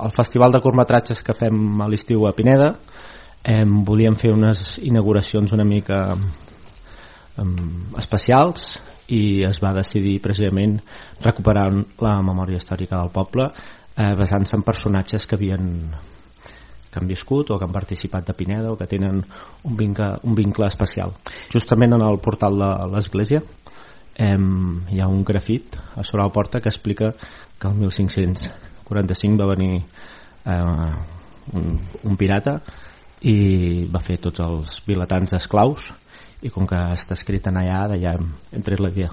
el festival de curtmetratges que fem a l'estiu a Pineda. Volíem fer unes inauguracions una mica especials i es va decidir precisament recuperar la memòria històrica del poble basant-se en personatges que han viscut o que han participat de Pineda o que tenen un vincle especial. Justament en el portal de l'església hi ha un grafit a sobre la porta que explica que el 1545 va venir un pirata i va fer tots els vilatans d'esclaus, i com que està escrit en allà, d'allà hem tret la idea.